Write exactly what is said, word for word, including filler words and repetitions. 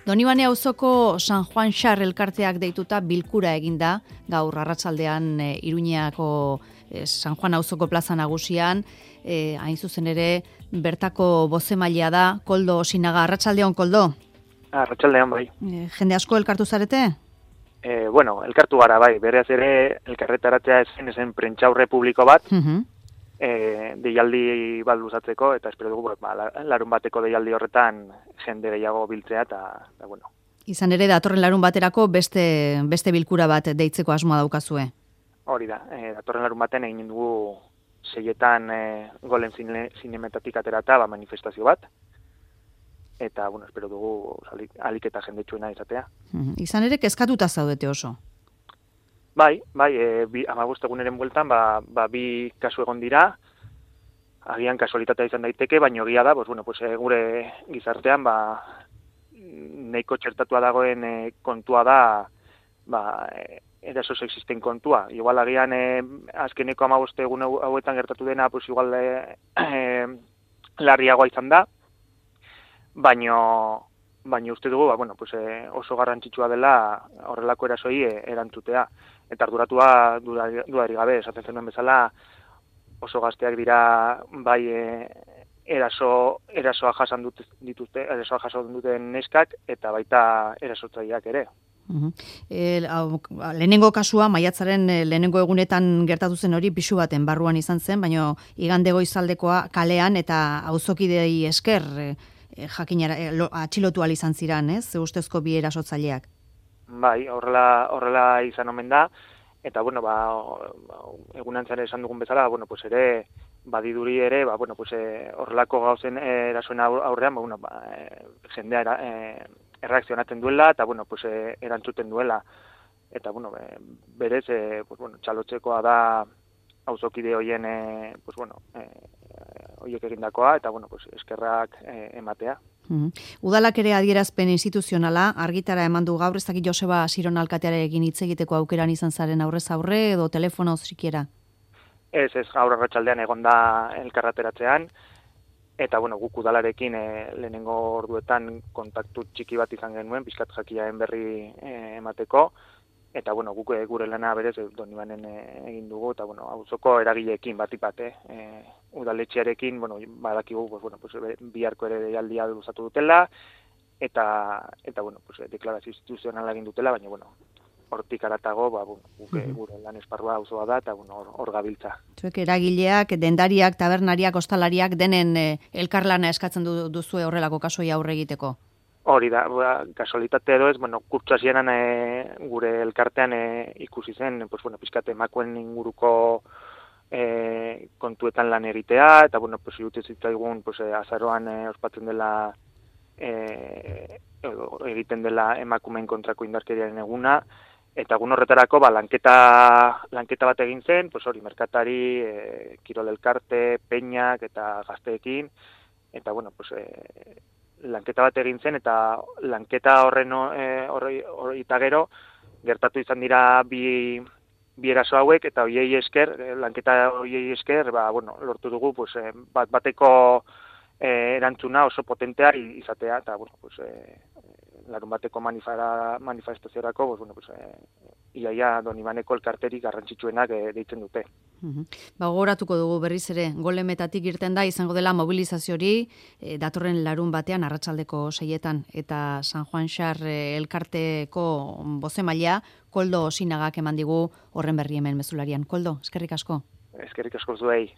Donibane auzoko San Juan Xar elkarteak deituta bilkura eginda, gaur arratsaldean e, Iruñeako e, San Juan auzoko plaza nagusian, e, hain zuzen ere bertako bozemailea da, Koldo Osinaga. Arratsaldeon, Koldo? Arratsaldeon, bai. E, jende asko elkartu zarete? E, bueno, elkartu gara, bai. Beraz ere, elkarretaratzea ezen ezen prentxaurre publiko bat, Uh-huh. e, deialdi bat luzatzeko, eta espero dugu, ba, larun bateko deialdi horretan jende gehiago biltzea, eta, eta bueno. Izan ere, datorren larun baterako beste, beste bilkura bat deitzeko asmoa daukazue. Hori da, e, datorren larun baten egin dugu seietan e, golen zine, zinemetatik aterata, ba, manifestazio bat, eta, bueno, espero dugu alik, alik eta jendetsuena izatea. Uh-huh. Izan ere, kezkatuta zaudete oso. Bai, bai, e, bi, amabost eguneren bueltan, ba, ba, bi kasu egon dira, agian kasualitatea izan daiteke, baina egia da, pues, bueno, pues, e, gure gizartean, ba, nahiko txertatua dagoen e, kontua da, ba, e, eraso sexisten kontua. Igual agian e, azkeneko amabost egun hauetan gertatu dena, pues, igual e, e, larriagoa izan da, baina baina uste dugu, ba, bueno, pues, e, oso garrantzitsua dela horrelako erasoi e, erantzutea. Eta arduratua dudarik gabe, esaten zenuen bezala, oso gazteak dira bai e, eraso, erasoa jasan dut, dituzte, erasoa jasan duten neskak, eta baita erasotzaileak ere. Uh-huh. E, au, lehenengo kasua, maiatzaren lehenengo egunetan gertatu zen hori, pisu baten barruan izan zen, baina igande goizaldekoa kalean eta auzokidei esker e, jakinara, e, lo, atxilotu ahal izan ziran, ez? Ustezko bi erasotzaileak. Bai, horrela, horrela izan omen da, eta, bueno, ba, egunantzan esan dugun bezala, bueno, pues ere, badiduri ere, ba, bueno, pues, e, horrelako gauzen erasoen aurrean, ba, bueno, ba, e, jendea era, e, erreakzionatzen duela, eta, bueno, pues, e, erantzuten duela, eta, bueno, be, berez, e, pues, bueno, txalotzekoa da auzokide hoien, e, pues, bueno, e, hoiek egindakoa, eta, bueno, pues, eskerrak e, ematea. Uh-huh. Udalak ere adierazpen instituzionala argitara eman du gaur, ez dakit Joseba Siron alkatearekin hitz egiteko aukeran izan zaren aurrez aurre edo telefono sikiera? Ez, ez, gaur arratsaldean egon da elkarrateratzean, eta, bueno, guk udalarekin e, lehenengo orduetan kontaktu txiki bat izan genuen, pixkat jakiaen berri e, emateko, eta, bueno, guk e, gure lana berez Donibanen e, egin dugu, eta, bueno, auzoko eragileekin bat ipate, e, udaletxearekin, bueno, badakigu, pues, bueno, pues, biharko ere deialdia luzatu dutela, eta, eta bueno, pues, deklarazio instituzionala egin dutela, baina, bueno, hortik aratago, ba, bueno, gure, gure lan esparrua auzoa da, eta, bueno, hor, hor gabiltza. Zuek eragileak, dendariak, tabernariak, ostalariak, denen eh, elkarlana eskatzen du, duzue horrelako kasoi aurre egiteko? Hori da, ba, kasualitate edo ez, bueno, kurtsu hasieran e, gure elkartean e, ikusi zen, pues, bueno, pizkate emakueen inguruko E, kontuetan lan egitea, eta, bueno, pues, irutez zitzaigun, pues, e, azaroan e, ospatzen dela e, egiten dela emakumeen kontrako indarkeriaren eguna, eta egun horretarako, ba, lanketa, lanketa bat egin zen, pues, hori, merkatari, e, kirol elkarte, peñak, eta gazteekin, eta, bueno, pues, e, lanketa bat egin zen, eta lanketa horren e, horri, horri eta gero, gertatu izan dira bi bi eraso hauek, eta hoiei esker, lanketa hoiei esker, ba, bueno, lortu dugu, pues, bat bateko eh, erantzuna oso potentea izatea, eta, bueno, pues, eh, larun bateko manifara, manifestaziorako, pues, bueno, pues, eh, iaia Donibaneko elkarterik garrantzitsuenak eh, deitzen dute. Uh-huh. Ba, gogoratuko dugu berriz ere, golemetatik irten da, izango dela mobilizazio hori, e, datorren larun batean, arratsaldeko seietan, eta San Juan Xar e, elkarteko bozemailea, Koldo Osinagak eman digu horren berri hemen mezularian. Koldo, eskerrik asko. Eskerrik asko zuei.